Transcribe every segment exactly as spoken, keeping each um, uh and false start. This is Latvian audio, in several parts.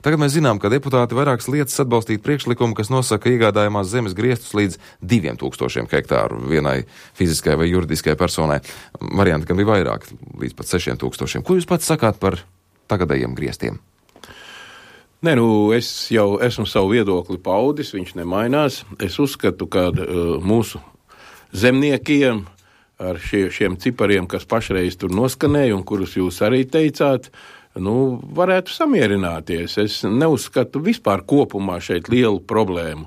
Tagad mēs zinām, ka deputāti vairākas lietas atbalstīt priekšlikumu, kas nosaka iegādājumās zemes griestus līdz diviem tūkstošiem hektāru vienai fiziskai vai juridiskai personai. Varianti, kam bija vairāk, līdz pat sešiem tūkstošiem. Ko jūs pats sakāt par tagadējiem griestiem? Nē, nu, es jau esmu savu viedokli paudis, viņš nemainās. Es uzskatu, ka uh, mūsu zemniekiem ar šie, šiem cipariem, kas pašreiz tur noskanēja un kurus jūs arī teicāt, nu, varētu samierināties. Es neuzskatu vispār kopumā šeit lielu problēmu,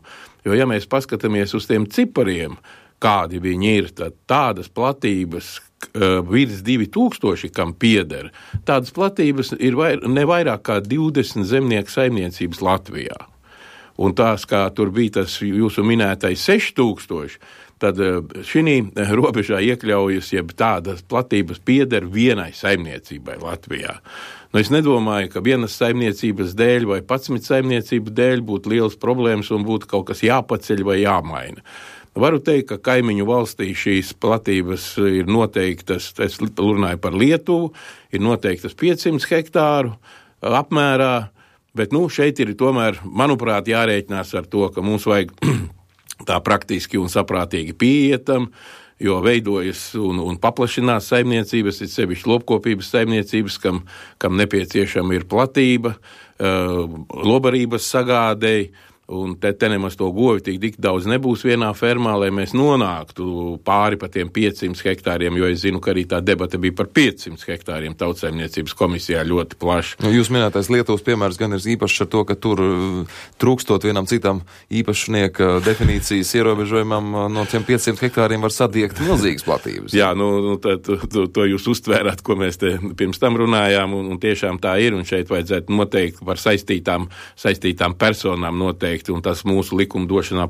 jo ja mēs paskatāmies uz tiem cipariem, kādi viņi ir, tad tādas platības uh, virs divi tūkstoši, kam pieder, tādas platības ir vair, ne vairāk kā divdesmit zemnieku saimniecības Latvijā. Un tās, kā tur bija tas jūsu minētais seši tūkstoši, tad šī robežā iekļaujas, jeb tādas platības pieder vienai saimniecībai Latvijā. Nu, es nedomāju, ka vienas saimniecības dēļ vai patsmit saimniecības dēļ būtu liels problēmas un būtu kaut kas jāpaceļ vai jāmaina. Varu teikt, ka kaimiņu valstī šīs platības ir noteiktas, es runāju par Lietuvu, ir noteiktas piecsimt hektāru apmērā, bet nu, šeit ir tomēr, manuprāt, jārēķinās ar to, ka mums vajag tā praktiski un saprātīgi pieietam, jo veidojas un, un paplašinās saimniecības, ir sevišķi lopkopības saimniecības, kam, kam nepieciešama ir platība, uh, lobarības sagādei, un te, te nemaz to govi tik, tik daudz nebūs vienā fermā, lai mēs nonāktu pāri pa tiem piecsimt hektāriem, jo es zinu, ka arī tā debata bija par piecsimt hektāriem Tautsaimniecības komisijā ļoti plaši. Nu, jūs minētais Lietuvas piemērs gan ir īpašs ar to, ka tur trūkstot vienam citam īpašnieka definīcijas ierobežojumam no tiem piecsimt hektāriem var sadiegt milzīgas platības. Jā, nu, nu tā, to, to jūs uztvērāt, ko mēs te pirms tam runājām, un, un tiešām tā ir, un šeit vajadzētu noteikti par saistītām, saistītām personām noteikti, un tas mūsu likumdošanā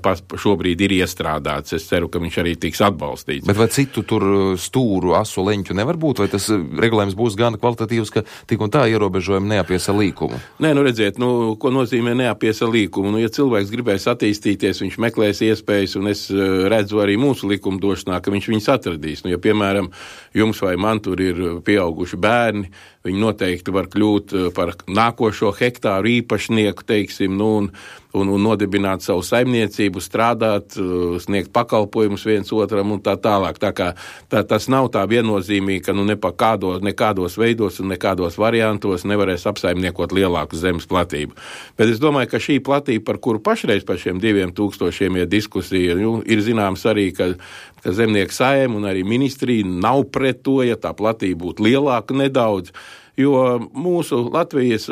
šobrīd ir iestrādāts. Es ceru, ka viņš arī tiks atbalstīts. Bet vai citu tur stūru, asu leņķu nevar būt, vai tas regulējums būs gan kvalitatīvs, ka tik un tā ierobežojumi neapiesa līkumu? Nē, nu redziet, nu, ko nozīmē neapiesa līkumu? Nu, ja cilvēks gribēs attīstīties, viņš meklēs iespējas, un es redzu arī mūsu likumdošanā, ka viņš viņus atradīs. Nu, ja, piemēram, jums vai man tur ir pieauguši bērni, viņi noteikti var kļūt par nākošo hektāru īpašnieku, teiksim, nu, un, un, un nodibināt savu saimniecību, strādāt, sniegt pakalpojumus viens otram un tā tālāk. Tā kā tā, tas nav tā viennozīmīgi, ka nu ne pa kādo, nekādos veidos un nekādos variantos nevarēs apsaimniekot lielāku zemes platību. Bet es domāju, ka šī platība, par kuru pašreiz par šiem diviem tūkstošiem ir diskusija, nu, ir zināms arī, ka ka zemnieku saima un arī ministrija nav pret to, ja tā platība būtu lielāka nedaudz, jo mūsu Latvijas,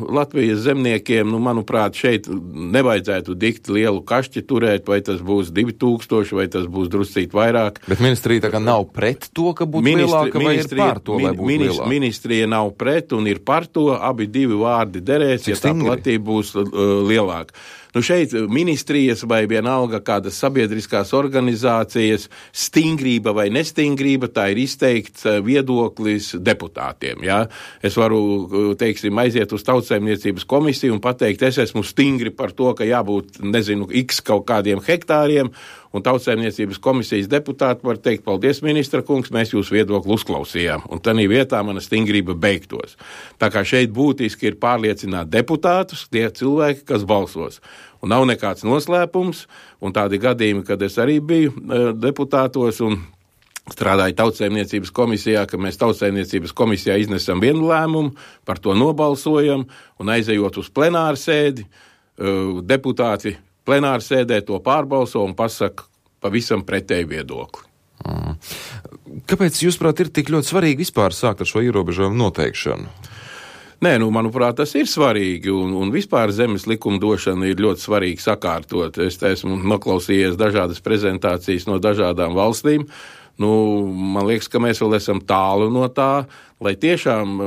Latvijas zemniekiem, nu, manuprāt, šeit nevajadzētu dikt lielu kašķi turēt, vai tas būs divi tūkstoši, vai tas būs druscīt vairāk. Bet ministrija tā kā nav pret to, ka būtu Ministri, lielāka, vai ir par to, lai būtu ministri, lielāka? Ministrija nav pret un ir par to, abi divi vārdi derēs, ja tā platība būs uh, lielāka. Nu šeit ministrijas vai vienalga kādas sabiedriskās organizācijas stingrība vai nestingrība, tā ir izteikts viedoklis deputātiem. Ja? Es varu, teiksim, aiziet uz Tautsaimniecības komisiju un pateikt, es esmu stingri par to, ka jābūt, nezinu, x kaut kādiem hektāriem, un Tautsaimniecības komisijas deputāti var teikt, paldies, ministra kungs, mēs jūs viedokli uzklausījām, un tanī vietā mana stingrība beigtos. Tā kā šeit būtiski ir pārliecināt deputātus, tie cilvēki, kas balsos. Un nav nekāds noslēpums, un tādi gadījumi, kad es arī biju uh, deputātos un strādāju Tautsaimniecības komisijā, ka mēs Tautsaimniecības komisijā iznesam vienu lēmumu, par to nobalsojam, un aizejot uz plenāru sēdi, uh, deputāti plenāru sēdē to pārbalso un pasaka pavisam pretēju viedokli. Mm. Kāpēc, jūsuprāt, ir tik ļoti svarīgi vispār sākt ar šo ierobežojumu noteikšanu? Nē, nu, manuprāt, tas ir svarīgi, un, un vispār zemes likumdošana ir ļoti svarīgi sakārtot. Es esmu noklausījies dažādas prezentācijas no dažādām valstīm. Nu, man liekas, ka mēs vēl esam tālu no tā, lai tiešām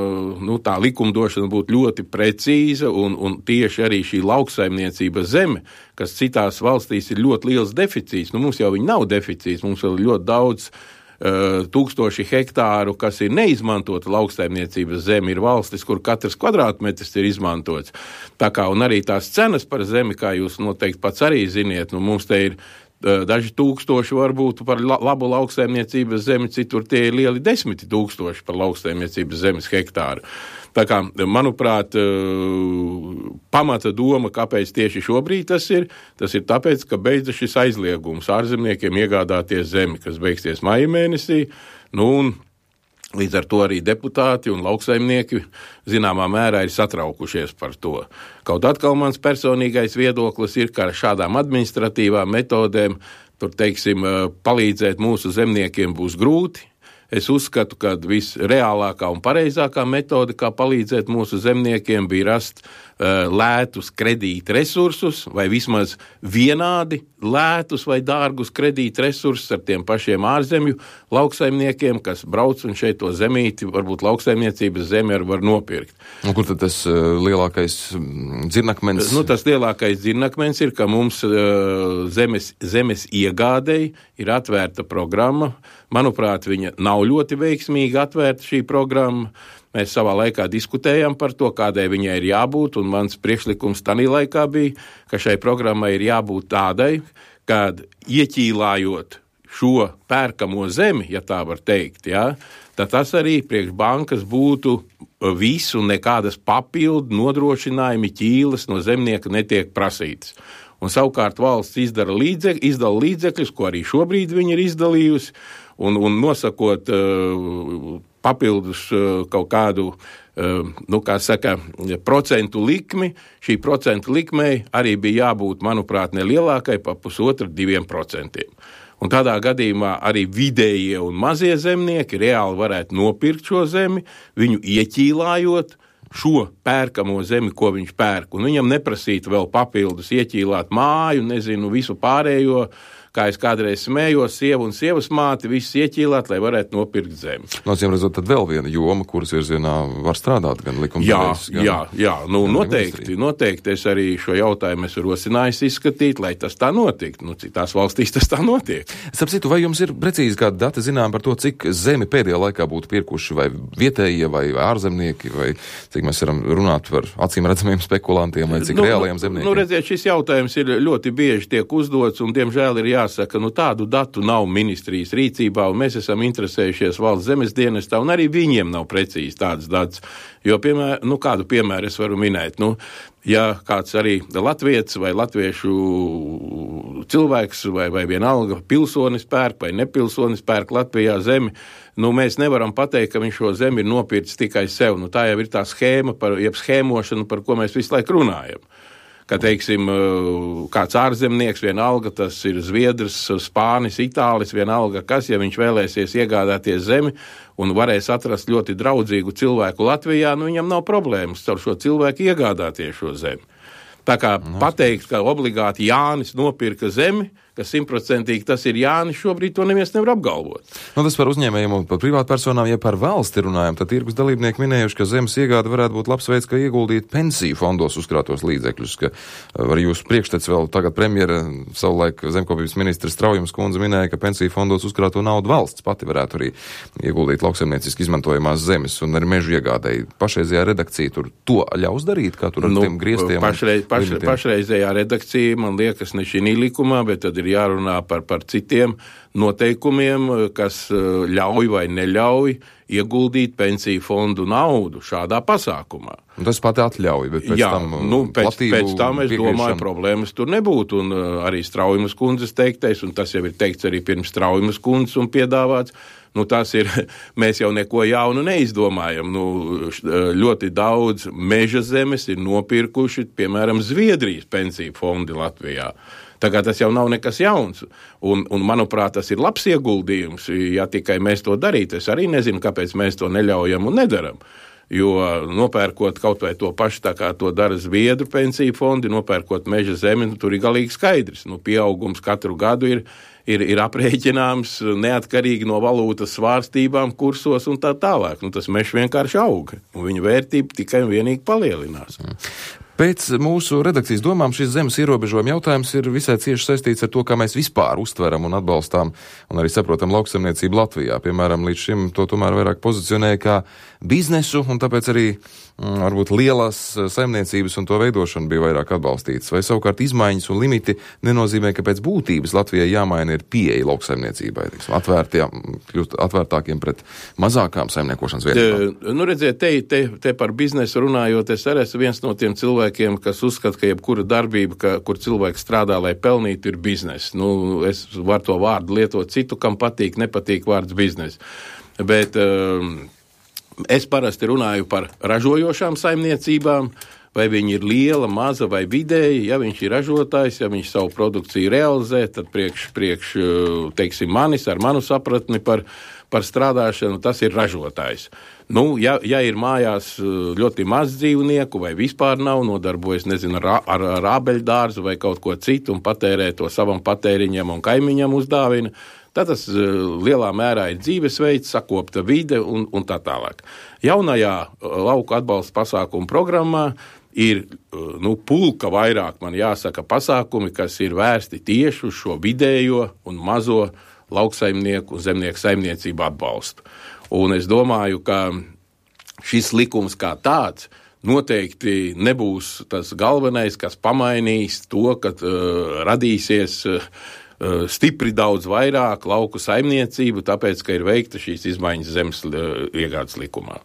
nu, tā likumdošana būtu ļoti precīza, un, un tieši arī šī lauksaimniecības zeme, kas citās valstīs ir ļoti liels deficīts. Nu, mums jau viņi nav deficīts, mums vēl ļoti daudz uh, tūkstoši hektāru, kas ir neizmantota lauksaimniecības zeme, ir valstis, kur katrs kvadrātmetrs ir izmantots. Tā kā, un arī tās cenas par zemi, kā jūs noteikti pats arī ziniet, nu, mums te ir daži tūkstoši varbūt par labu lauksaimniecības zemi, citur tie ir lieli desmiti tūkstoši par lauksaimniecības zemes hektāru. Tā kā, manuprāt, pamata doma, kāpēc tieši šobrīd tas ir, tas ir tāpēc, ka beidza šis aizliegums ārzemniekiem iegādāties zemi, kas beigsies maija mēnesī, nu un līdz ar to arī deputāti un lauksaimnieki zināmā mērā ir satraukušies par to. Kaut atkal mans personīgais viedoklis ir, ka ar šādām administratīvām metodēm, tur, teiksim, palīdzēt mūsu zemniekiem būs grūti. Es uzskatu, ka visreālākā un pareizākā metode, kā palīdzēt mūsu zemniekiem, bija rast uh, lētus kredīta resursus, vai vismaz vienādi lētus vai dārgus kredīta resursus ar tiem pašiem ārzemju lauksaimniekiem, kas brauc un šeit to zemīti, varbūt lauksaimniecības zemi ar var nopirkt. Un kur tad tas uh, lielākais dzirnakmens? Nu, tas lielākais dzirnakmens ir, ka mums uh, zemes, zemes iegādei ir atvērta programma. Manuprāt, viņa nav ļoti veiksmīgi atvērta šī programma. Mēs savā laikā diskutējām par to, kādai viņai ir jābūt, un mans priekšlikums tanī laikā bija, ka šai programmai ir jābūt tādai, kad ieķīlājot šo pērkamo zemi, ja tā var teikt, ja, tad tas arī priekš bankas būtu visu, nekādas papildu nodrošinājumi ķīles no zemnieka netiek prasītas. Un savukārt valsts izdara līdzek, izdala līdzekļus, ko arī šobrīd viņi ir izdalījusi, un, un nosakot uh, papildus uh, kaut kādu, uh, nu, kā saka, procentu likmi, šī procentu likmei arī bija jābūt, manuprāt, nelielākai pa pusotra diviem procentiem. Un tādā gadījumā arī vidējie un mazie zemnieki reāli varētu nopirkt šo zemi, viņu ieķīlājot, šo pērkamo zemi, ko viņš pērk, un viņam neprasītu vēl papildus ieķīlāt māju, nezinu, visu pārējo, kā es kādreiz smējos, sievu un sievas māti, visus ieķīlāt, lai varētu nopirkt zemi. No cīm redzot, tad vēl viena joma, kuras virzienā var strādāt, gan likumdevējs, gan... Jā, jā, nu noteikti, noteikti es arī šo jautājumu esmu rosinājis izskatīt, lai tas tā notiktu. Nu, citās valstīs tas tā notiek. Starp citu, vai jums ir precīzi kādi dati zinām par to, cik zemi pēdējā laikā būtu pirkuši vai vietējie vai ārzemnieki, vai cik mēs varam runāt par acīm redzamiem spekulantiem, vai cik nu, reālajiem zemniekiem? Nu, redziet, šis jautājums ir ļoti bieži tiek uzdots, un diemžēl ir jāsaka, nu tādu datu nav ministrijas rīcībā, un mēs esam interesējušies valsts zemes dienestā, un arī viņiem nav precīzi tādas datus. Jo, piemēram, nu kādu piemēru es varu minēt, nu, ja kāds arī latvietis vai latviešu cilvēks vai, vai vienalga pilsonis pērk vai nepilsonis pērk Latvijā zemi, nu mēs nevaram pateikt, ka viņš šo zemi ir nopircis tikai sev. Nu tā jau ir tā schēma, par, jeb schēmošana, par ko mēs visu laiku runājam. Ka, teiksim, kāds ārzemnieks, vienalga, tas ir Zviedrs, Spānis, Itālis, vienalga kas, ja viņš vēlēsies iegādāties zemi un varēs atrast ļoti draudzīgu cilvēku Latvijā, nu viņam nav problēmas ar šo cilvēku iegādāties šo zemi. Tā kā no. pateikt, ka obligāti Jānis nopirka zemi, ka simtprocentīgi tas ir Jānis, šobrīd to neviens nevar apgalvot. Nu, tas par uzņēmējiem un par privātpersonām, ja par valsti runājam, tad tirgus dalībnieki minējuši, ka zemes iegāde varētu būt labs veids, kā ieguldīt pensiju fondos uzkrātos līdzekļus, ka var jūsu priekštec vēl tagad premjera, savulaik zemkopības ministrs Straujums kundze minēja, ka pensiju fondos uzkrāto naudu valsts pati varētu arī ieguldīt lauksaimnieciski izmantojamās zemes un arī mežu iegādēji. Pašreizējā redakcija tur to ļaus darīt, kā tur ar nu, tiem griestiem? Pašreiz, paš, pašreizējā redakcija, man liekas, ne šī likumā, bet tad ir jārunā par, par citiem noteikumiem, kas ļauj vai neļauj ieguldīt pensiju fondu naudu šādā pasākumā. Un tas pat atļauj, bet pēc Jā, tam nu, pēc, pēc tam es domāju, problēmas tur nebūtu, un uh, arī Straujumas kundzes teiktais, un tas jau ir teikts arī pirms Straujumas kundzes un piedāvāts, nu tas ir, mēs jau neko jaunu neizdomājam, nu ļoti daudz meža zemes ir nopirkuši, piemēram, Zviedrijas pensiju fondi Latvijā. Tagad tas jau nav nekas jauns, un, un manuprāt, tas ir labs ieguldījums, ja tikai mēs to darītu. Es arī nezinu, kāpēc mēs to neļaujam un nedaram, jo nopērkot kaut vai to pašu, tā kā to dara Zviedru pensiju fondi, nopērkot meža zemi, nu, tur ir galīgi skaidrs. Nu, pieaugums katru gadu ir, ir, ir aprēķināms neatkarīgi no valūtas svārstībām, kursos un tā tālāk. Nu, tas mežs vienkārši auga, un viņa vērtība tikai un vienīgi palielinās. Pēc mūsu redakcijas domām šis zemes ierobežojuma jautājums ir visai cieši saistīts ar to, kā mēs vispār uztveram un atbalstām un arī saprotam lauksaimniecību Latvijā. Piemēram, līdz šim to tomēr vairāk pozicionēja kā biznesu, un tāpēc arī mm, varbūt lielās saimniecības un to veidošana bija vairāk atbalstītas. Vai savukārt izmaiņas un limiti nenozīmē, ka pēc būtības Latvijai jāmaina ir pieeja lauksaimniecībai, kļūt atvērtākiem pret mazākām saimniekošanas vienībām? Nu, redziet, te, te, te par biznesu runājot, es arī esmu viens no tiem cilvēkiem, kas uzskata, ka jebkura darbība, ka, kur cilvēks strādā, lai pelnītu, ir biznes. Nu, es varu to vārdu lietot citu, kam patīk, nepatīk vārds biznes. Bet um, es parasti runāju par ražojošām saimniecībām, vai viņi ir liela, maza vai vidēji. Ja viņš ir ražotājs, ja viņš savu produkciju realizē, tad priekš, priekš teiksim, manis ar manu sapratni par, par strādāšanu, tas ir ražotājs. Nu, ja, ja ir mājās ļoti maz dzīvnieku vai vispār nav, nodarbojas, nezinu, ar, ar, ar ābeļdārzu vai kaut ko citu un patērē to savam patēriņam un kaimiņam uzdāvina, tad tas lielā mērā ir dzīvesveids, sakopta vide un, un tā tālāk. Jaunajā lauku atbalsta pasākumu programmā ir nu, pulka vairāk, man jāsaka, pasākumi, kas ir vērsti tieši uz šo vidējo un mazo lauksaimnieku un zemnieku saimniecību atbalstu. Un es domāju, ka šis likums kā tāds noteikti nebūs tas galvenais, kas pamainīs to, ka uh, radīsies uh, stipri daudz vairāk lauku saimniecību, tāpēc, ka ir veikta šīs izmaiņas zemes uh, iegādes likumā.